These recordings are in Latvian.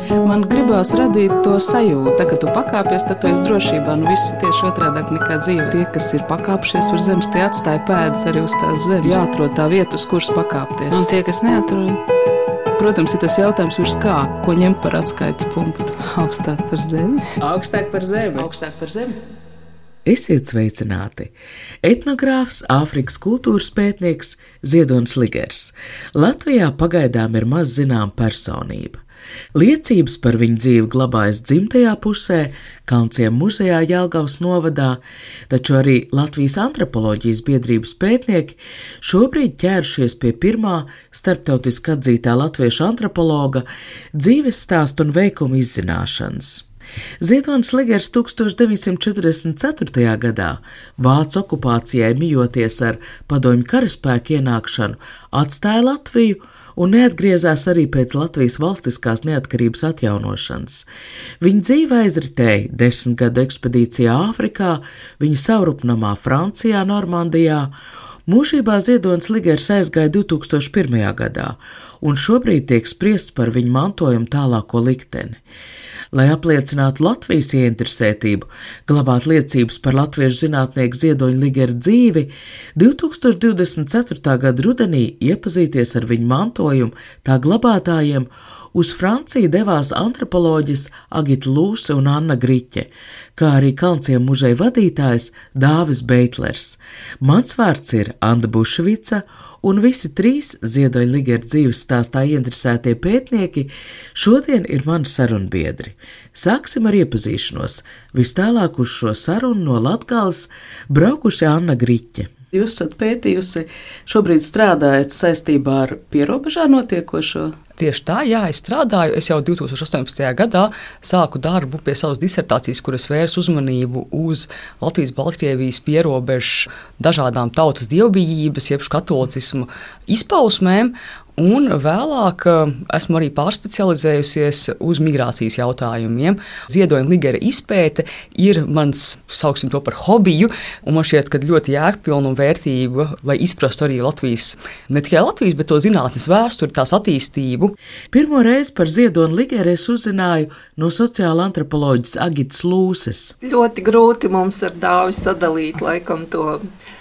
Man gribās radīt to sajūtu, tā, ka tu pakāpies, tad tu esi drošībā. Viss tieši otrādāk nekā dzīve. Tie, kas ir pakāpšies uz zemes, tie atstāja pēdas arī uz tās zemes. Jāatrod tā vieta, uz kuras pakāpties. Un tie, kas neatrod? Protams, ir tas jautājums virs kā, ko ņemt par atskaites punktu. Augstāk par zemi. Augstāk par zemi. Augstāk par zemi. Esiet sveicināti! Etnogrāfs, Āfrikas kultūras pētnieks Ziedonis Ligers. Latvijā pagaidām ir maz zinām personība. Liecības par viņu dzīvi glabājas dzimtajā pusē, Kalnciem muzejā Jelgavas novadā, taču arī Latvijas antropoloģijas biedrības pētnieki šobrīd ķēršies pie pirmā starptautiski atzītā latviešu antropologa dzīves stāstu un veikumu izzināšanas. Ziedonis Ligers 1944. gadā Vācu okupācijai mijoties ar padomju karaspēku ienākšanu atstāja Latviju un neatgriezās arī pēc Latvijas valstiskās neatkarības atjaunošanas. Viņa dzīve aizritēja 10 gadu ekspedīcijā Āfrikā, viņa savrupnamā Francijā, Normandijā. Mūžībā Ziedonis Ligers aizgāja 2001. gadā, un šobrīd tiek spriests par viņa mantojuma tālāko likteni. Lai apliecinātu Latvijas ieinteresētību, glabāt liecības par latviešu zinātnieku Ziedoņa Ligera dzīvi, 2024. gada rudenī iepazīties ar viņu mantojumu tā glabātājiem uz Franciju devās antropoloģis Agita Lūse un Anna Griķe, kā arī Kalnciem muzeja vadītājs Dāvis Beitlers. Mans vārds ir Anda Bušvica, un visi trīs Ziedoņa Ligera dzīves stāstā ieinteresētie pētnieki šodien ir mani sarunbiedri. Sāksim ar iepazīšanos. Vis tālāk uz šo sarunu no Latgales braukuši Anna Griķe. Jūs esat pētījusi, šobrīd strādājat saistībā ar pierobežā notiekošo? Tieši tā, jā, es strādāju. Es jau 2018. gadā sāku darbu pie savas disertācijas, kuras vērs uzmanību uz Latvijas-Baltkrievijas pierobežu dažādām tautas dievbijības, jeb katolicismu izpausmēm. Un vēlāk esmu arī pārspecializējusies uz migrācijas jautājumiem. Ziedoņa Ligera izpēte ir mans, sauksim to par hobiju, un man šķiet, ka ļoti jēgpilna un vērtība, lai izprastu arī Latvijas, ne tikai Latvijas, bet to zinātnes vēsturi, tās attīstību. Pirmo reizi par Ziedoni Ligeru es uzzināju no sociāla antropoloģijas Agitas Lūses. Ļoti grūti mums ar Dāvi sadalīt laikam to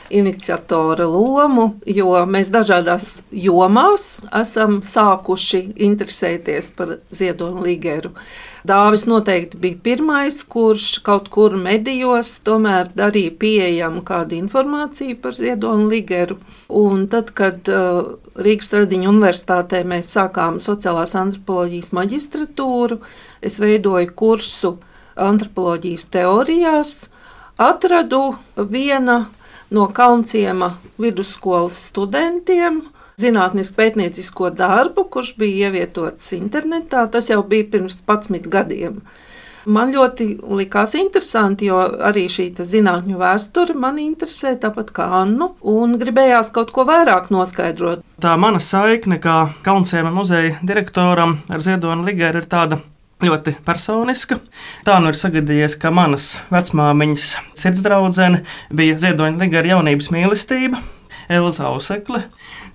iniciatora lomu, jo mēs dažādās jomās esam sākuši interesēties par Ziedoni Ligeru. Dāvis noteikti bija pirmais, kurš kaut kur medijos tomēr darīja pieejamu kādu informāciju par Ziedoni Ligeru. Un tad, kad Rīgas Tradiņu universitātē mēs sākām sociālās antropoloģijas maģistratūru, es veidoju kursu antropoloģijas teorijās, atradu viena no Kalnciema vidusskolas studentiem zinātnisku pētniecisko darbu, kurš bija ievietots internetā. Tas jau bija pirms 11 gadiem. Man ļoti likās interesanti, jo arī šī zinātņu vēsture mani interesē, tāpat kā Annu, un gribējās kaut ko vairāk noskaidrot. Tā mana saikne kā Kalnciema muzeja direktoram ar Ziedoni Ligeru ir tāda ļoti personiska. Tā nu ir sagadījies, ka manas vecmāmiņas sirdsdraudzene bija Ziedoņa Ligera jaunības mīlestība, Elza Ausekle.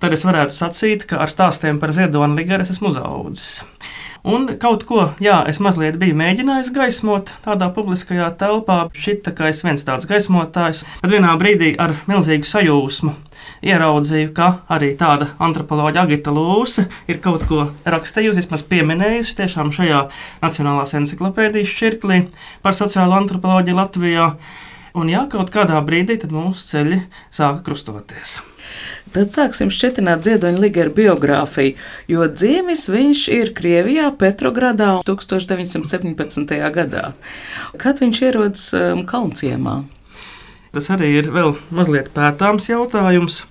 Tad es varētu sacīt, ka ar stāstiem par Ziedoni Ligeru es esmu uzaudzis. Un kaut ko, jā, es mazliet biju mēģinājis gaismot tādā publiskajā telpā. Šita kā es viens tāds gaismotājs. Tad vienā brīdī ar milzīgu sajūsmu ieraudzīju, ka arī tāda antropoloģa Agita Lūse ir kaut ko rakstījusi, vismaz pieminējusi tiešām šajā Nacionālās enciklopēdijas šķirklī par sociālo antropoloģiju Latvijā. Un jā, kaut kādā brīdī tad mūsu ceļi sāka krustoties. Tad sāksim šķetināt Ziedoņa Ligera biogrāfiju, jo dzīvis viņš ir Krievijā, Petrogradā 1917. gadā. Kad viņš ierodas Kalnciemā? Tas arī ir vēl mazliet pētāms jautājums.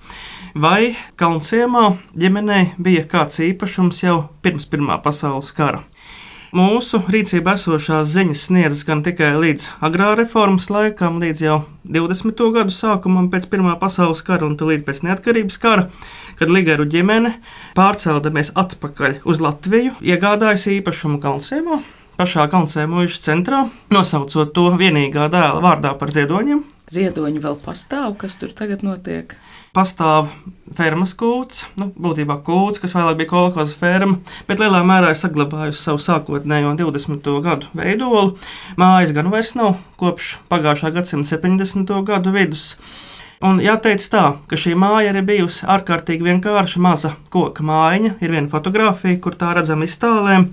Vai Kalnciemā ģimenei bija kāds īpašums jau pirms Pirmā pasaules kara? Mūsu rīcībā esošās ziņas sniedzas gan tikai līdz agrārreformas laikam, līdz jau 20. gadu sākumam pēc Pirmā pasaules kara un līdz pēc neatkarības kara, kad Ligeru ģimene, pārceldamies atpakaļ uz Latviju, iegādājas īpašumu Kalnciemā, pašā Kalnciema muižas centrā, nosaucot to vienīgā dēla vārdā par Ziedoņiem. Ziedoņi vēl pastāv, kas tur tagad notiek? Pastāv fermas kūts, būtībā kūts, kas vēlāk bija kolhoza ferma, bet lielā mērā ir saglabājusi savu sākotnējo 20. gadu veidolu. Mājas gan vairs nav kopš pagājušā gadsimta 70. gadu vidus. Un jāteic tā, ka šī māja ir bijusi ārkārtīgi vienkārša maza koka mājiņa, ir viena fotografija, kur tā redzama iztālēm.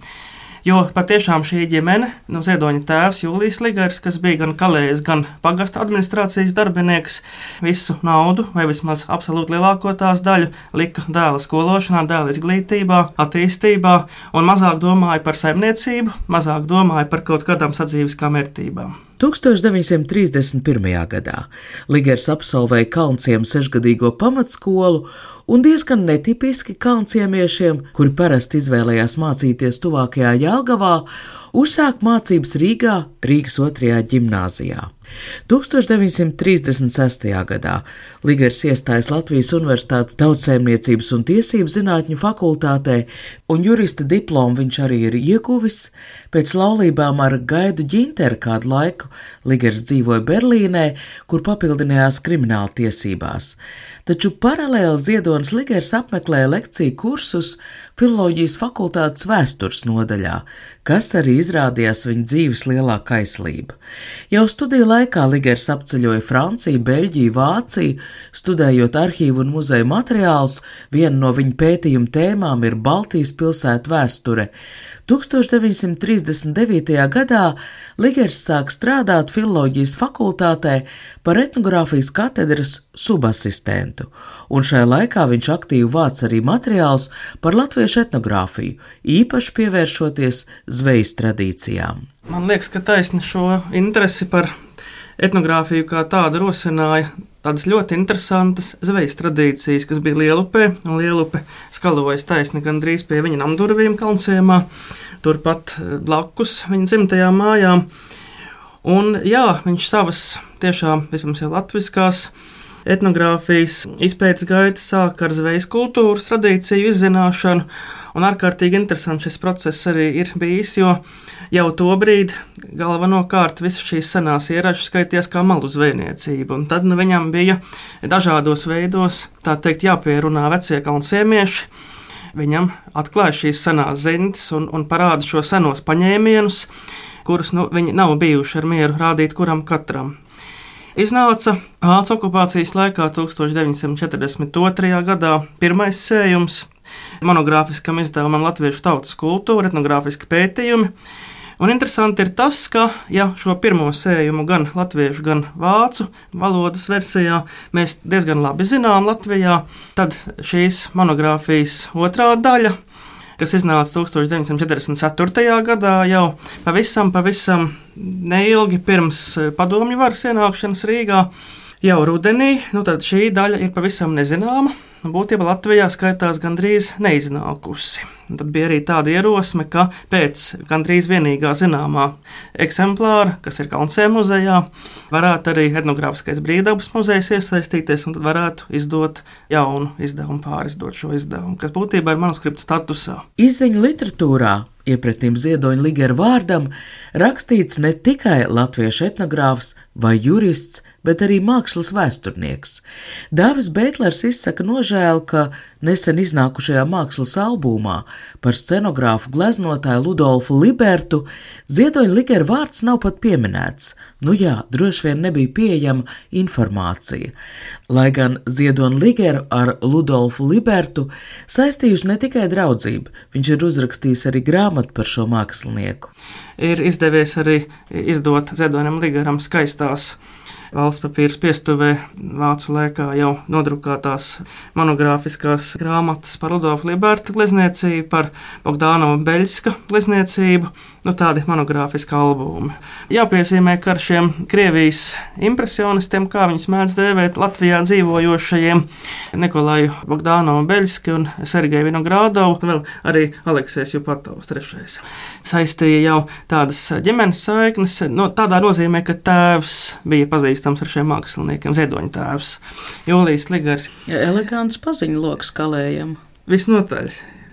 Jo patiešām šī ģimene, Ziedoņa tēvs Jūlijs Ligers, kas bija gan kalējs, gan pagasta administrācijas darbinieks, visu naudu, vai vismaz absolūti lielāko tās daļu, lika dēla skološanā, dēla izglītībā, attīstībā, un mazāk domāja par saimniecību, mazāk domāja par kaut kādām sadzīviskām vērtībām. 1931. gadā Ligers absolvēja Kalnciem 6-gadīgo pamatskolu, un diezgan netipiski kalnciemiešiem, kuri parasti izvēlējās mācīties tuvākajā Jelgavā, uzsāk mācības Rīgā, Rīgas 2. ģimnāzijā. 1936. gadā Ligers iestājas Latvijas Universitātes Tautsaimniecības un tiesību zinātņu fakultātē, un jurista diplomu viņš arī ir ieguvis. Pēc laulībām ar Gaidu Ģinteru kādu laiku Ligers dzīvoja Berlīnē, kur papildinājās krimināla tiesībās. Taču paralēli Ziedonis Ligers apmeklēja lekciju kursus Filoloģijas fakultātes vēstures nodaļā, kas arī izrādījās viņa dzīves lielākā aizslība. Jau studiju laikā Ligers apceļoja Franciju, Beļģiju, Vāciju, studējot arhīvu un muzeju materiālus. Viena no viņa pētījuma tēmām ir Baltijas pilsētu vēsture. 1939. gadā Ligers sāk strādāt Filoloģijas fakultātē par etnogrāfijas katedras subasistentu, un šajā laikā viņš aktīvi vāc arī materiālus par latviešu etnogrāfiju, īpaši pievēršoties zvejas tradīcijām. Man liekas, ka taisni šo interesi par etnogrāfiju kā tādu rosināja tādas ļoti interesantas zvejas tradīcijas, kas bija Lielupē, un Lielupe skalojas taisni gandrīz pie viņa namdurvīm Kalnciemā, turpat blakus viņa dzimtajām mājām. Un jā, viņš savas tiešām vispirms jau latviskās etnogrāfijas izpētes gaitas sāk ar zvejas kultūras tradīciju izzināšanu, un ārkārtīgi interesants šis process arī ir bijis, jo jau tobrīd galvenokārt visas šīs senās ieražas skaitījās kā malu zvejniecība, un tad viņam bija dažādos veidos, tā teikt, jāpierunā vecie kalnciemieši. Viņam atklāja šīs senās zintas un parāda šo senos paņēmienus, kurus viņi nav bijuši ar mieru rādīt kuram katram. Iznāca Vācu okupācijas laikā 1942. gadā pirmais sējums monogrāfiskam izdevumam Latviešu tautas kultūra, etnogrāfiski pētījumi. Un interesanti ir tas, ka šo pirmo sējumu gan latviešu, gan vācu valodas versijā mēs diezgan labi zinām Latvijā, tad šīs monogrāfijas otrā daļa, kas iznāca 1944. gadā, jau pavisam neilgi pirms padomju varas ienākšanas Rīgā, jau rudenī, tad šī daļa ir pavisam nezināma. Būtībā Latvijā skaitās gandrīz neiznākusi. Tad bija arī tāda ierosme, ka pēc gandrīz vienīgā zināmā eksemplāra, kas ir Kalnciem muzejā, varētu arī etnogrāfiskais brīvdabas muzejs iesaistīties un tad varētu izdot jaunu izdevumu, pārizdot šo izdevumu, kas būtībā ir manuskripta statusā. Izziņu literatūrā iepratīm Ziedoņa Ligera vārdam rakstīts ne tikai latviešu etnogrāfs vai jurists, bet arī mākslas vēsturnieks. Dāvis Beitlers izsaka nožēlu, ka nesen iznākušajā mākslas albumā par scenogrāfu gleznotāju Ludolfu Libertu Ziedoņa Ligera vārds nav pat pieminēts. Droši vien nebija pieejama informācija. Lai gan Ziedoņa Ligera ar Ludolfu Libertu saistījuši ne tikai draudzību, viņš ir uzrakstījis arī grāmatu par šo mākslinieku. Ir izdevies arī izdot Ziedoņam Ligeram skaistās valsts papīra piestuvē vācu laikā jau nodrukātās monogrāfiskās grāmatas par Ludolfu Liberta glezniecību, par Bogdānova Beļska glezniecību, tādi monogrāfiski albumi. Jāpiezīmē, ka ar šiem Krievijas impresionistiem, kā viņus mēdz dēvēt, Latvijā dzīvojošajiem Nikolaju Bogdānovu Beļski un Sergeju Vinogrādovu, vēl arī Aleksejs Jupatovs III. Saistīja jau tādas ģimenes saiknes, tādā nozīmē, ka tēvs bija pazīstams ar šiem māksliniekiem, Ziedoņa tēvs Jūlijs Ligers. Elegants paziņu loks kalējam. Visnotaļ.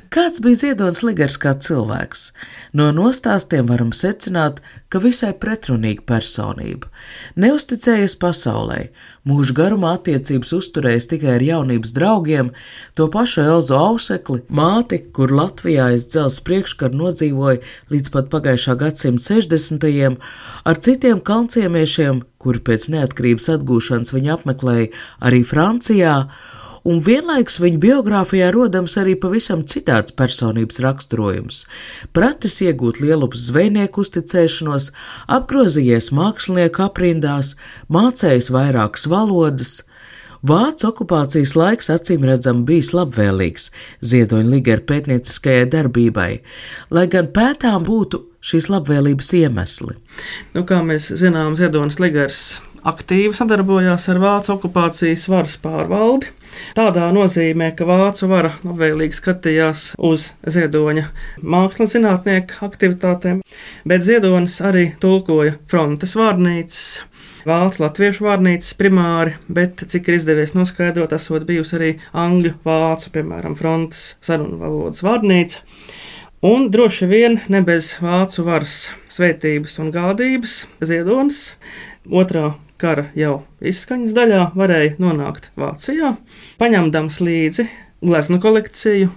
Kāds bija Ziedonis Ligers kā cilvēks? No nostāstiem varam secināt, ka visai pretrunīga personība. Neusticējies pasaulē, mūža garumā attiecības uzturējis tikai ar jaunības draugiem, to pašu Elzu Ausekli, māti, kur Latvijā aiz dzelzs priekškaru nodzīvoja līdz pat pagājušā gadsimta 60. ar citiem kalnciemiešiem, kuri pēc neatkarības atgūšanas viņa apmeklēja arī Francijā, un vienlaikus viņa biogrāfijā rodams arī pavisam citāds personības raksturojums. Pratis iegūt lielupas zvejnieku uzticēšanos, apgrozījies mākslinieku aprindās, mācējis vairākas valodas. Vācu okupācijas laiks acīmredzami bijis labvēlīgs Ziedoņa Ligera pētnieciskajai darbībai, lai gan pētām būtu šīs labvēlības iemesli. Kā mēs zinām, Ziedonis Ligers aktīvi sadarbojās ar Vācu okupācijas varas pārvaldi. Tādā nozīmē, ka Vācu vara labvēlīgi skatījās uz Ziedoņa mākslas zinātnieku aktivitātēm, bet Ziedonis arī tulkoja frontes vārnīcas, vācu latviešu vārnīcas primāri, bet, cik ir izdevies noskaidrot, esot bijusi arī angļu vācu, piemēram, frontes sarunu valodas vārnīca. Un droši vien ne bez vācu varas svētības un gādības Ziedonis otrā kara jau izskaņas daļā varēja nonākt Vācijā, paņemdams līdzi gleznu kolekciju,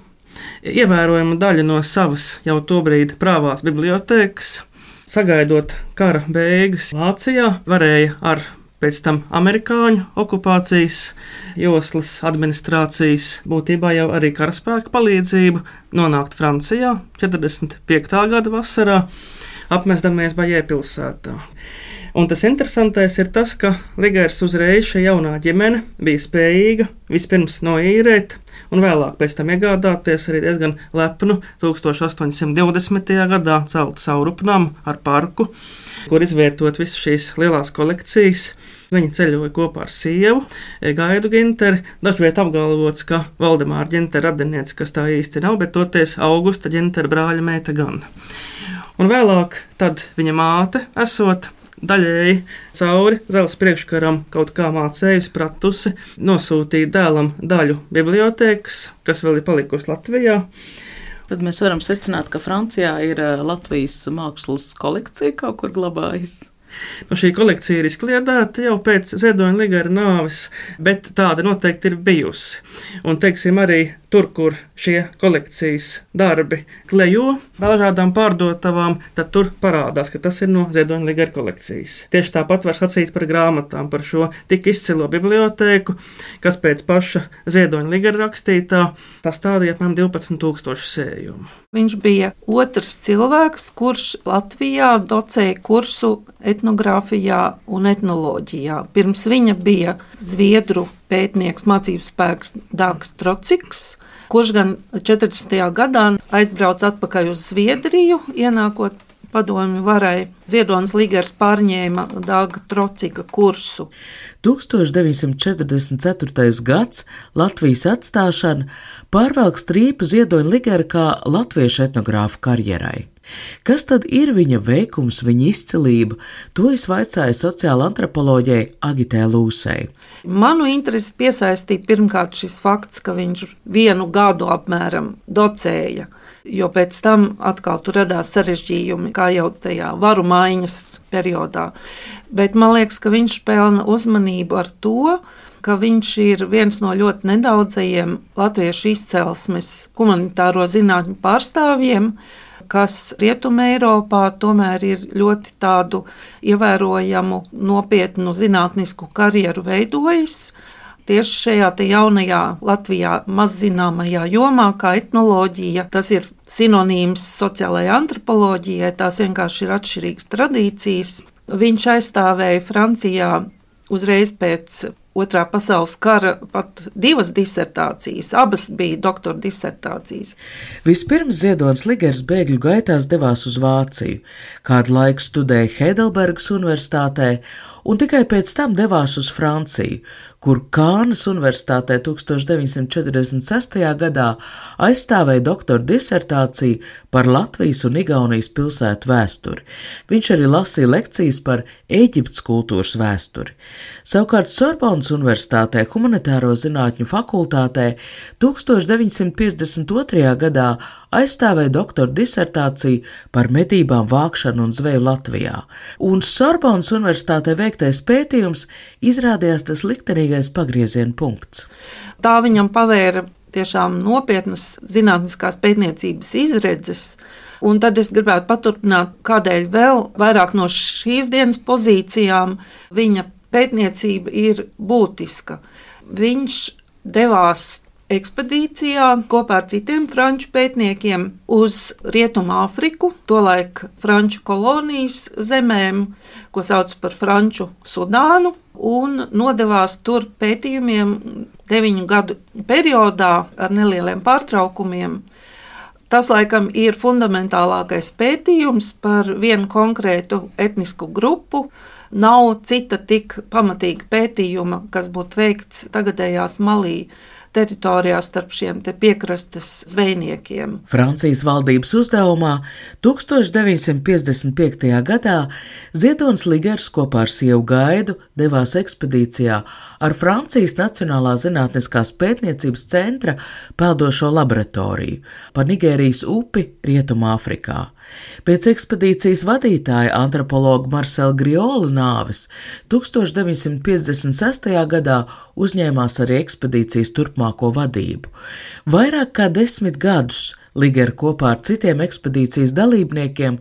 ievērojamu daļu no savas jau tobrīd prāvās bibliotēkas, sagaidot kara beigas Vācijā, varēja ar pēc tam amerikāņu okupācijas joslas administrācijas, būtībā jau arī karaspēka palīdzību, nonākt Francijā 45. gada vasarā, apmestamies Bajē pilsētā. Un tas interesantais ir tas, ka Ligers uzreiz šī jaunā ģimene bija spējīga vispirms noīrēt un vēlāk pēc tam iegādāties arī diezgan lepnu 1820. gadā celtu saurupnamu ar parku, kur izvietot visas šīs lielās kolekcijas. Viņi ceļoja kopā ar sievu, Gaidu Ginteri. Dažviet apgalvots, ka Valdemāra Gintera radiniece, kas tā īsti nav, bet toties Augusta Gintera brāļa meita gan. Un vēlāk tad viņa māte esot daļēji cauri dzelzs priekškaram kaut kā mācējusi, pratusi, nosūtīt dēlam daļu bibliotēkas, kas vēl ir palikusi Latvijā. Tad mēs varam secināt, ka Francijā ir Latvijas mākslas kolekcija kaut kur glabājas. Šī kolekcija ir izkliedēta jau pēc Ziedoņa Ligera nāves, bet tāda noteikti ir bijusi. Un, teiksim, arī tur, kur šie kolekcijas darbi klejo dažādām pārdotavām, tad tur parādās, ka tas ir no Ziedoņa Ligera kolekcijas. Tieši tāpat var sacīt par grāmatām, par šo tik izcilo bibliotēku, kas pēc paša Ziedoņa Ligera rakstītā sastādīja apmēram 12,000 sējumu. Viņš bija otrs cilvēks, kurš Latvijā docēja kursu etnogrāfijā un etnoloģijā. Pirms viņa bija zviedru pētnieks, mācību spēks Dāgs Trociks, kurš gan 40. gadā aizbrauca atpakaļ uz Zviedriju, ienākot padomju varai. Ziedonis Ligers pārņēma Dāga Trocika kursu. 1944. gads, Latvijas atstāšana, pārvelk strīpu Ziedoņa Ligera kā latviešu etnogrāfa karjerai. Kas tad ir viņa veikums, viņa izcilība? To es vaicāju sociāla antropoloģijai Agitē Lūsei. Manu interesi piesaistīja pirmkārt šis fakts, ka viņš 1 gadu apmēram docēja, jo pēc tam atkal tur radās sarežģījumi, kā jau tajā varu maiņas periodā. Bet man liekas, ka viņš pelna uzmanību ar to, ka viņš ir viens no ļoti nedaudzajiem latviešu izcelsmes humanitāro zinātņu pārstāvjiem, kas Rietumē Eiropā tomēr ir ļoti tādu ievērojamu, nopietnu zinātnisku karjeru veidojis. Tieši šajā jaunajā Latvijā mazzināmajā jomā, kā etnoloģija, tas ir sinonīms sociālajai antropoloģijai, tās vienkārši ir atšķirīgas tradīcijas. Viņš aizstāvēja Francijā uzreiz pēc Otrā pasaules kara pat 2 disertācijas, abas bija doktora disertācijas. Vispirms Ziedonis Ligers bēgļu gaitās devās uz Vāciju, kādu laiku studēja Heidelbergas universitātē un tikai pēc tam devās uz Franciju, kur Kānas Universitātē 1946. gadā aizstāvēja doktora disertāciju par Latvijas un Igaunijas pilsētu vēsturi. Viņš arī lasīja lekcijas par Ēģiptes kultūras vēsturi. Savukārt Sorbonas Universitātē humanitāro zinātņu fakultātē 1952. gadā aizstāvēja doktora disertāciju par medībām, vākšanu un zveju Latvijā, un Sorbonas Universitātē veiktais pētījums izrādījās tas liktenīgais pagrieziena punkts. Tā viņam pavēra tiešām nopietnas zinātniskās pētniecības izredzes, un tad es gribētu paturpināt, kādēļ vēl vairāk no šīs dienas pozīcijām viņa pētniecība ir būtiska. Viņš devās ekspedīcijā kopā ar citiem franču pētniekiem uz Rietumāfriku, tolaik franču kolonijas zemēm, ko sauc par Franču Sudānu, un nodevās tur pētījumiem 9 gadu periodā ar nelieliem pārtraukumiem. Tas, laikam, ir fundamentālākais pētījums par vienu konkrētu etnisku grupu. Nav cita tik pamatīga pētījuma, kas būtu veikts tagadējās Malī teritorijā starp šiem te piekrastes zvejniekiem. Francijas valdības uzdevumā 1955. gadā Ziedonis Ligers kopā ar sievu Gaidu devās ekspedīcijā ar Francijas Nacionālā zinātniskās pētniecības centra peldošo laboratoriju pa Nigērijas upi Rietumāfrikā. Pēc ekspedīcijas vadītāja antropologa Marcela Griola nāves 1956. gadā uzņēmās arī ekspedīcijas turpmāko vadību. Vairāk kā 10 gadus Ligera kopā ar citiem ekspedīcijas dalībniekiem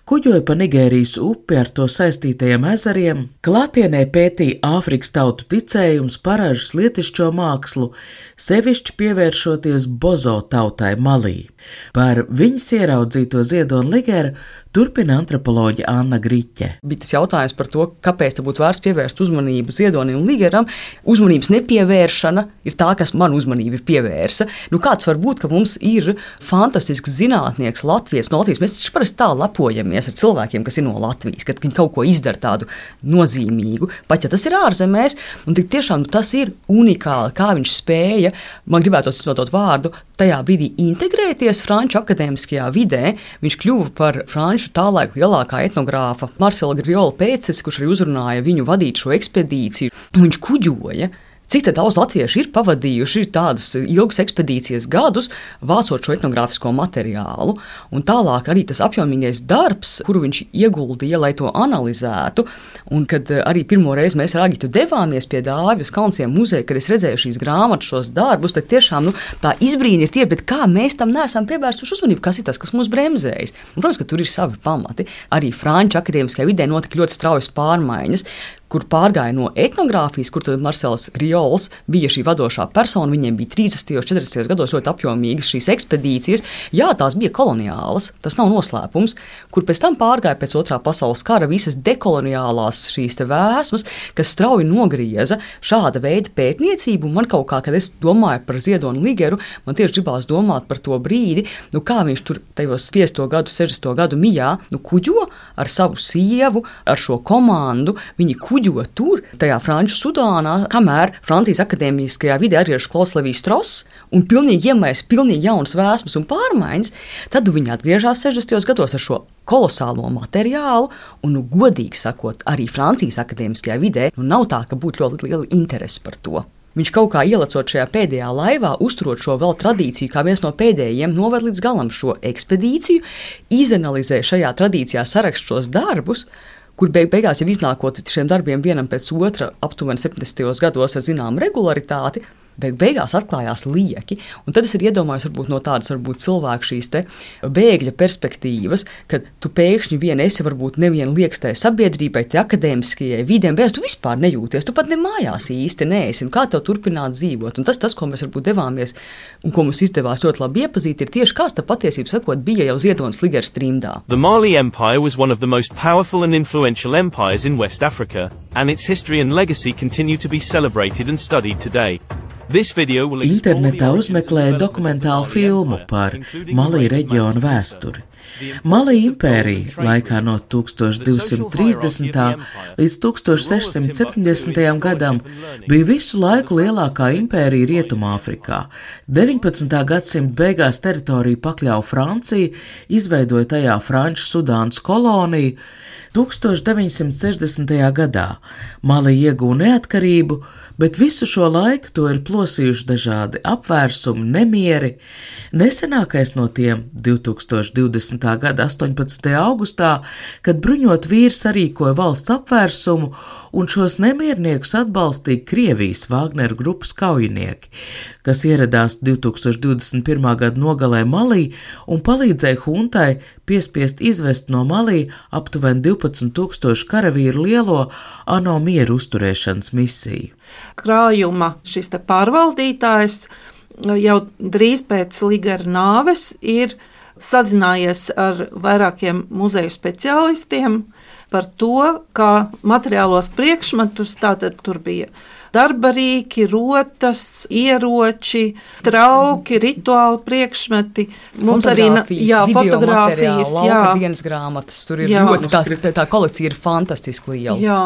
kuģoja pa Nigērijas upi ar to saistītajiem ezeriem, klātienē pētīja Āfrikas tautu ticējumus, paražas, lietišķo mākslu, sevišķi pievēršoties Bozo tautai Malī. Par viņas ieraudzīto Ziedoni Ligera turpina antropoloģe Anna Griķe. Bija tas jautājums par to, kāpēc te būtu vērts pievērst uzmanību Ziedonim Ligeram. Uzmanības nepievēršana ir tā, kas man uzmanību ir pievērsa. Kāds var būt, ka mums ir fantastisks zinātnieks Latvijas, no Latvijas. Mēs taču parasti tā lepojamies ar cilvēkiem, kas ir no Latvijas, kad viņi kaut ko izdara tādu nozīmīgu, pat ja tas ir ārzemēs, un tik tiešām tas ir unikāli, kā viņš spēja, man gribētos izmantot vārdu, tajā brīdī integrēties franču akadēmiskajā vidē. Viņš kļuva par franču tālaik lielākā etnogrāfa Marcela Griola pēctecis, kurš arī uzrunāja viņu vadīt šo ekspedīciju. Viņš kuģoja. Cik daudz latvieši ir pavadījuši tādus ilgus ekspedīcijas gadus, vācot šo etnogrāfisko materiālu, un tālāk arī tas apjomīgais darbs, kuru viņš ieguldīja, lai to analizētu. Un kad arī pirmo reizi mēs ar Agitu devāmies pie Dāvijas Kalnciem muzeja, kad es redzēju šīs grāmatas, šos darbus, tad tiešām tā izbrīna ir tie, bet kā mēs tam neesam pievērsuši uzmanību, kas ir tas, kas mūs bremzējas. Un, protams, ka tur ir savi pamati. Arī franču akadēmiskajā vidē notika ļoti straujas pārmaiņas, kur pārgāja no etnogrāfijas, kur tad Marcels Griols bija šī vadošā persona, viņiem bija 30. un 40. gados ļoti apjomīgas šīs ekspedīcijas. Jā, tās bija koloniālas, tas nav noslēpums, kur pēc tam pārgāja pēc Otrā pasaules kara visas dekoloniālās šīs te vēsmas, kas strauji nogrieza šāda veida pētniecību. Un man kaut kā, kad es domāju par Ziedoni Ligeru, man tieši gribās domāt par to brīdi, kā viņš tur tajos 50. gadu, 60. gadu mijā, kuģo ar savu sievu, ar šo komandu, viņi kuģo tur, tajā Franču Sudānā, kamēr Francijas akadēmiskajā vidē arī ir Klaus Levijs Stross un pilnīgi iemērs, pilnīgi jaunas vēsmas un pārmaiņas, tad viņi atgriežās 60. gados ar šo kolosālo materiālu un, godīgi sakot, arī Francijas akadēmiskajā vidē nav tā, ka būtu ļoti liela interese par to. Viņš kaut kā ielecot šajā pēdējā laivā, uzturot šo vēl tradīciju, kā viens no pēdējiem, noved līdz galam šo ekspedīciju, izanalizē šajā tradīcijā sarakst šos darbus, kur beigās jau iznākot šiem darbiem vienam pēc otra aptuveni 70. gados ar zināmu regularitāti, beigās atklājās lieki. Un tad es arī iedomājos varbūt no tādas cilvēku šīs te bēgļa perspektīvas, kad tu pēkšņi vien esi varbūt nevien liekas tai sabiedrībai, tai akadēmiskajai vidēm, bet tu vispār nejūties, tu pat ne mājās īsti neesi, un kā tev turpināt dzīvot. Un tas, ko mēs varbūt devāmies un ko mums izdevās ļoti labi iepazīt, ir tieši kāds tā patiesība sakot bija jau Ziedonis Ligers trimdā. The Mali Empire was one of the most powerful and influential empires in West Africa, and its history and legacy continue to be celebrated and studied today. Internetā uzmeklēja dokumentālu filmu par Malī reģionu vēsturi. Mali impērija laikā no 1230. līdz 1670. gadam bija visu laiku lielākā impērija Rietumāfrikā. 19. gadsimta beigās teritoriju pakļāva Francija, izveidoja tajā Franču Sudānas koloniju. 1960. gadā Mali iegūta neatkarību, bet visu šo laiku to ir plosījuši dažādi apvērsumi, nemieri. Nesenākais no tiem 2020. gada 18. augustā, kad bruņot vīri sarīkoja valsts apvērsumu un šos nemierniekus atbalstīja Krievijas Vāgneru grupas kaujinieki, kas ieradās 2021. gada nogalē Malī un palīdzēja huntai piespiest izvest no Malī aptuveni 12,000 karavīru lielo ANO mieru uzturēšanas misiju. Krājuma šis te pārvaldītājs jau drīz pēc Ligera nāves ir sazinājies ar vairākiem muzeju speciālistiem par to, kā materiālos priekšmetus, tātad tur bija darba rīki, rotas, ieroči, trauki, rituāli priekšmeti. Mums arī fotogrāfijas, dienas grāmatas, tur ir ļoti, tā kolekcija ir fantastiski liela. Jā,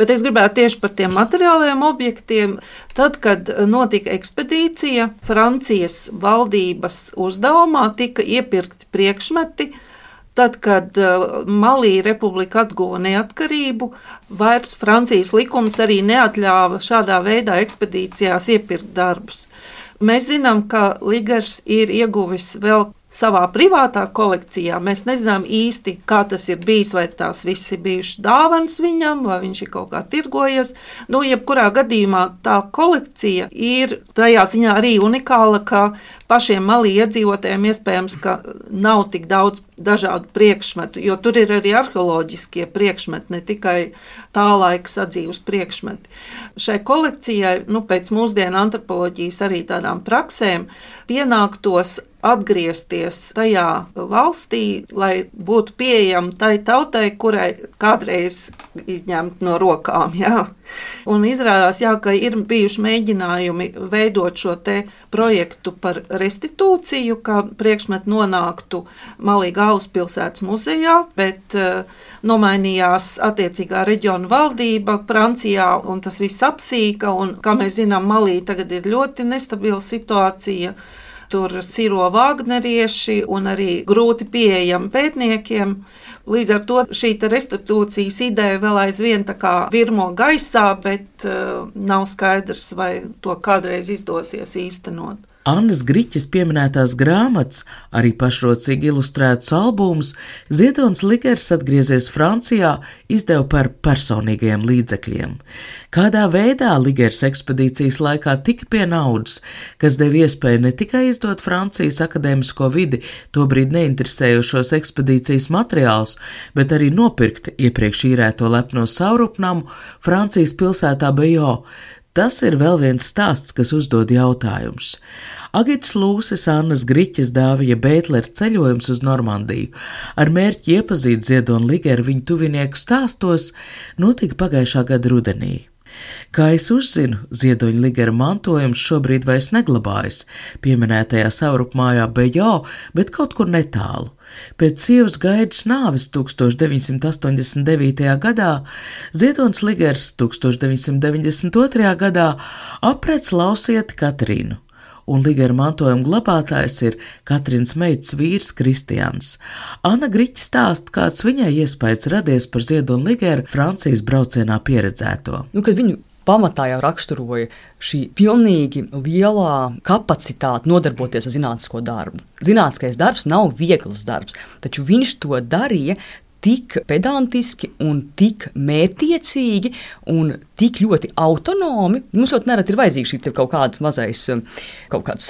bet es gribētu tieši par tiem materiāliem objektiem. Tad, kad notika ekspedīcija, Francijas valdības uzdevumā tika iepirkti priekšmeti. Tad, kad Malī republika atguva neatkarību, vairs Francijas likums arī neatļāva šādā veidā ekspedīcijās iepirkt darbus. Mēs zinām, ka Ligers ir ieguvis vēl savā privātā kolekcijā. Mēs nezinām īsti, kā tas ir bijis, vai tās viss ir bijušas dāvanas viņam, vai viņš ir kaut kā tirgojies. Jebkurā gadījumā tā kolekcija ir tajā ziņā arī unikāla, ka pašiem Malī iedzīvotājiem iespējams, ka nav tik daudz dažādu priekšmetu, jo tur ir arī arheoloģiskie priekšmeti, ne tikai tā laika sadzīves priekšmeti. Šai kolekcijai, pēc mūsdienu antropoloģijas arī tādām praksēm, pienāktos atgriezties tajā valstī, lai būtu pieejama tai tautai, kurai kādreiz izņemt no rokām. Jā. Un izrādās, ka ir bijuši mēģinājumi veidot šo te projektu par restitūciju, ka priekšmeti nonāktu Malī galvaspilsētas muzejā, bet nomainījās attiecīgā reģiona valdība Francijā, un tas viss apsīka, un, kā mēs zinām, Malī tagad ir ļoti nestabila situācija. Tur siro vāgnerieši un arī grūti pieejami pētniekiem. Līdz ar to šī restitūcijas ideja vēl aizvien tā kā virmo gaisā, bet nav skaidrs, vai to kādreiz izdosies īstenot. Annas Griķes pieminētās grāmatas, arī pašrocīgi ilustrētus albumus, Ziedons Ligers atgriezies Francijā, izdeva par personīgajiem līdzekļiem. Kādā veidā Ligers ekspedīcijas laikā tika pie naudas, kas deva iespēju ne tikai izdot Francijas akadēmisko vidi tobrīd neinteresējošos ekspedīcijas materiālus, bet arī nopirkt iepriekš īrēto lepno savrupnamu Francijas pilsētā Bejo. Tas ir vēl viens stāsts, kas uzdod jautājumus. Agits Lūses Annas Griķes dāvija Bētlera ceļojums uz Normandiju ar mērķi iepazīt Ziedonu Ligeru viņu tuvinieku stāstos notika pagājušā gada rudenī. Kā es uzzinu, Ziedoņa Ligera mantojums šobrīd vairs neglabājas pieminētajā savrupmājā Bejo, bet kaut kur netālu. Pēc sievas Gaidas nāves 1989. gadā Ziedons Ligers 1992. gadā aprec lausieti Katrīnu, un Ligera mantojuma glabātājs ir Katrīnas meitas vīrs Kristians. Anna Griķe stāsta, kāds viņai iespējas radies par Ziedonu Ligeru Francijas braucienā pieredzēto. Kad viņu pamatā jau raksturoja šī pilnīgi lielā kapacitāte nodarboties ar zinātnisko darbu. Zinātniskais darbs nav viegls darbs, taču viņš to darīja tik pedantiski un tik mērķtiecīgi un tik ļoti autonomi. Mums ļoti nereti ir vajadzīga šī kaut kāds mazais, kaut kāds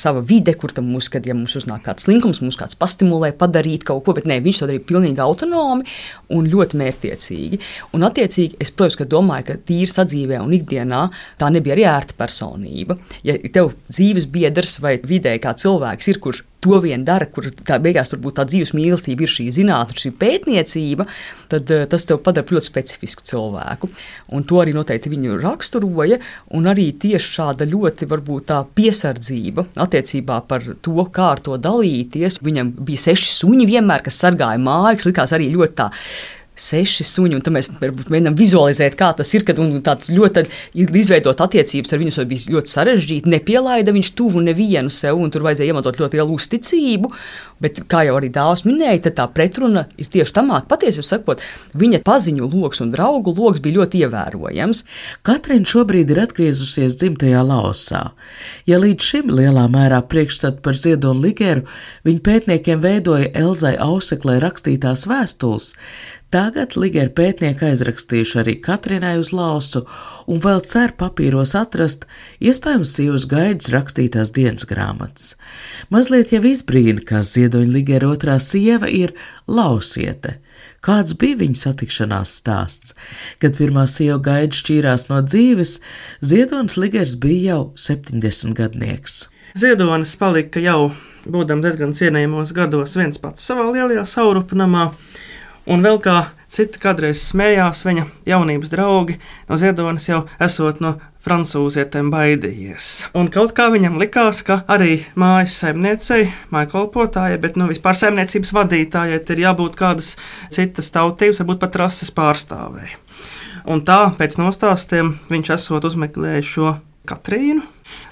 sava vide, kur tam mums, kad mums uznāk kāds slinkums, mums kāds pastimulē padarīt kaut ko, bet nē, viņš to darīja pilnīgi autonomi un ļoti mērķtiecīgi. Un attiecīgi, es, protams, ka domāju, ka tīri sadzīvē un ikdienā tā nebija arī ērta personība. Ja tev dzīves biedrs vai vidē kā cilvēks ir, kurš to vien dara, kur tā beigās varbūt tā dzīves mīlestība ir šī zinātne, šī pētniecība, tad tas tev padara ļoti specifisku cilvēku. Un un to arī noteikti viņu raksturoja, un arī tieši šāda ļoti varbūt tā piesardzība attiecībā par to, kā ar to dalīties. Viņam bija 6 suņi vienmēr, kas sargāja māju, kas likās arī ļoti tā 6 suņi, un tad mēs mēģinām vizualizēt, kā tas ir, kad tāds ļoti izveidot attiecības ar viņu, tas bija ļoti sarežģīti, nepielaida viņš tuvu nevienu sev, un tur vajadzēja iemantot ļoti lielu uzticību, bet, kā jau arī Dāvs minēja, tad tā pretruna ir tieši tamāk. Patiesībā sakot, viņa paziņu loks un draugu loks bija ļoti ievērojams. Katrīna šobrīd ir atgriezusies dzimtajā Laosā. Ja līdz šim lielā mērā priekšstatu par Ziedoni Ligeru viņa pētniekiem veidoja Elzai Auseklei rakstītās vēstules, tagad Ligera pētnieki aizrakstījuši arī Katrīnai uz Laosu un vēl cer papīros atrast iespējams sievas Gaidas rakstītās dienas grāmatas. Mazliet jau izbrīna, kā Ziedoņa Ligera otrā sieva ir lausiete. Kāds bija viņa satikšanās stāsts? Kad pirmā sieva Gaida šķīrās no dzīves, Ziedonis Ligers bija jau 70 gadnieks. Ziedonis palika jau, būdams diezgan cienījamos gados, viens pats savā lielajā saurupnamā. Un vēl kā citi kādreiz smējās, viņa jaunības draugi no Ziedonis jau esot no francūzietēm baidījies. Un kaut kā viņam likās, ka arī mājas saimniecei, mājkolpotājai, bet vispār saimniecības vadītājai ir jābūt kādas citas tautības, varbūt pat rases pārstāvēji. Un tā pēc nostāstiem viņš esot uzmeklējis šo Katrīnu.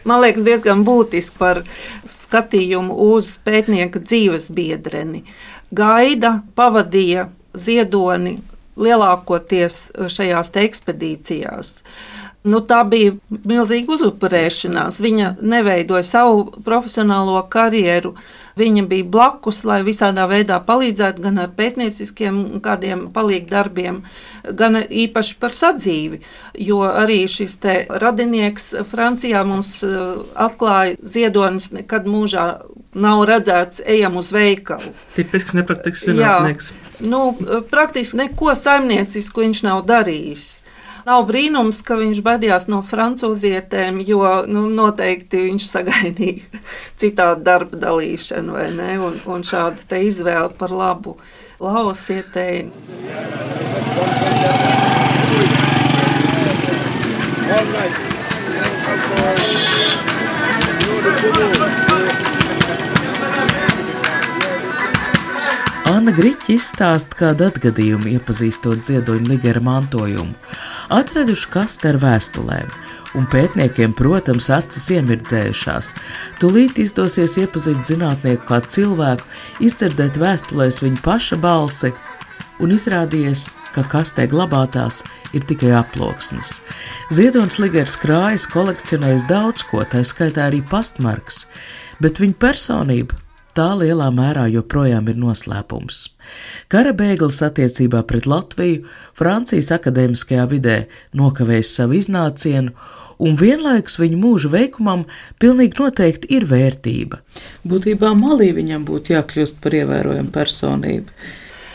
Man liekas, diezgan būtiski par skatījumu uz pētnieka dzīves biedreni. Gaida pavadīja Ziedoni lielākoties šajās ekspedīcijās. Tā bija milzīga uzupurēšanās. Viņa neveidoja savu profesionālo karjeru. Viņa bija blakus, lai visādā veidā palīdzētu gan ar pētnieciskiem kādiem palīgdarbiem, gan īpaši par sadzīvi. Jo arī šis te radinieks Francijā mums atklāja, Ziedonis nekad mūžā nav redzēts ejam uz veikalu. Tipisks nepraktisks zinātnieks. Praktiski neko saimniecisku viņš nav darījis. Nav brīnums, ka viņš baidījās no francūzietēm, jo noteikti viņš sagaidīja citādu darba dalīšanu, vai ne? Un šāda te izvēle par labu laosietei. Anna Griķa izstāsta kādu atgadījumu, iepazīstot Ziedoņa Ligera mantojumu. Atraduši kastu ar vēstulēm, un pētniekiem, protams, acis iemirdzējušās. Tūlīt izdosies iepazīt zinātnieku kā cilvēku, izdzirdēt vēstulēs viņa paša balsi, un izrādījies, ka kastē glabātās ir tikai aploksnes. Ziedonis Ligers krājas kolekcionējis daudz ko, tā skaitā arī pastmarkas, bet viņa personība tā lielā mērā joprojām ir noslēpums. Kara bēglis attiecībā pret Latviju Francijas akadēmiskajā vidē nokavējis savu iznācienu, un vienlaikus viņa mūža veikumam pilnīgi noteikti ir vērtība. Būtībā Malī viņam būtu jākļūst par ievērojamu personību.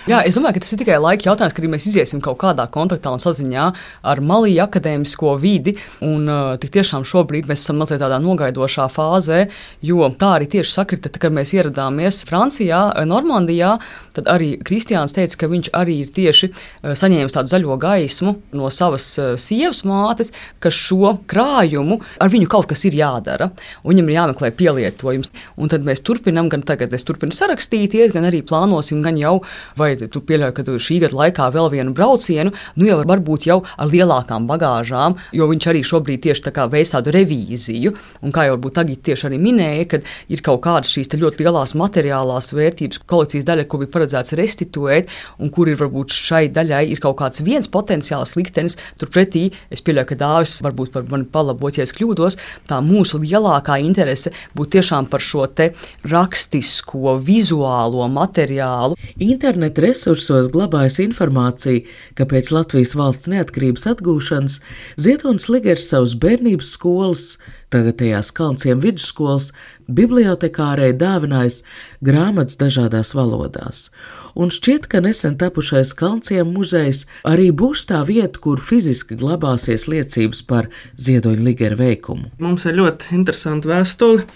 Jā, es domāju, ka tas ir tikai laika jautājums, kad mēs iziesim kaut kādā kontaktā un saziņā ar Malī akadēmisko vidi, un tik tiešām šobrīd mēs esam mazliet tādā nogaidošā fāzē, jo tā arī tieši sakrita, kad mēs ieradāmies Francijā, Normandijā, tad arī Kristiāns teica, ka viņš arī ir tieši saņēmis tādu zaļo gaismu no savas sievas mātes, ka šo krājumu ar viņu kaut kas ir jādara, un viņam ir jāmeklē pielietojums. Un tad mēs turpinam, gan tagad es turpinu sarakstīties, gan arī plānosim, gan jau, vai tu pieļauj, ka tu šī gada laikā vēl vienu braucienu, jau varbūt jau ar lielākām bagāžām, jo viņš arī šobrīd tieši tā kā veic tādu revīziju, un kā jau varbūt Agita tieši arī minēja, kad ir kaut kādas šīs ļoti lielās materiālās vērtības kolekcijas daļa, ko bija paredzēts restituēt, un kur ir varbūt šai daļai ir kaut kāds viens potenciāls liktenis, turpretī es pieļauju, ka Dāvis varbūt par mani palabot, ja es kļūdos, tā mūsu lielākā interese būtu tiešām par šo te rakstisko, vizuālo materiālu. Interneta resursos glabājas informācija, ka pēc Latvijas valsts neatkarības atgūšanas Ziedonis Ligers savus bērnības skolas, tagadējās Kalnciem vidusskolas, bibliotekārei dāvinājis grāmatas dažādās valodās. Un šķiet, ka nesen tapušais Kalnciem muzejs arī būs tā vieta, kur fiziski glabāsies liecības par Ziedoņa Ligera veikumu. Mums ir ļoti interesanta vēstule,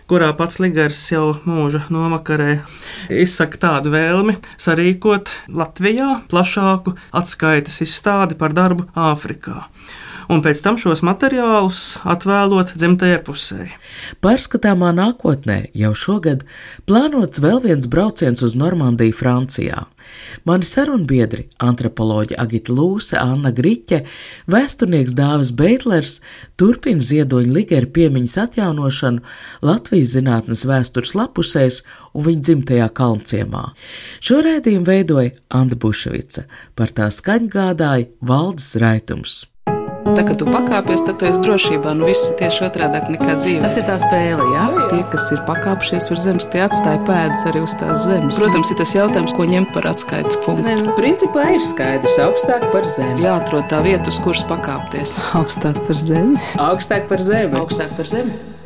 kurā pats Ligers jau mūža novakarē izsaka tādu vēlmi sarīkot Latvijā plašāku atskaites izstādi par darbu Āfrikā. Un pēc tam šos materiālus atvēlot dzimtajai pusē. Pārskatāmā nākotnē jau šogad plānots vēl viens brauciens uz Normandiju, Francijā. Mani sarunbiedri, antropoloģi Agita Lūse, Anna Griķe, vēsturnieks Dāvis Beitlers turpina Ziedoņa Ligera piemiņas atjaunošanu Latvijas zinātnes vēstures lapusēs un viņa dzimtajā Kalnciemā. Šo raidījumu veidoja Anda Buševica, par tā skaņu gādāja Valdis Raitums. Tā, kad tu pakāpies, tad tu esi drošībā, viss ir tieši otrādāk nekā dzīve. Tas ir tā spēle, jā? Tie, kas ir pakāpšies virs zemes, tie atstāja pēdas arī uz tās zemes. Protams, ir tas jautājums, ko ņemt par atskaites punktu. Principā ir skaidrs, augstāk par zemi. Jāatrod tā vieta, uz kuras pakāpties. Augstāk par zemi. Augstāk par zemi. Augstāk par zemi.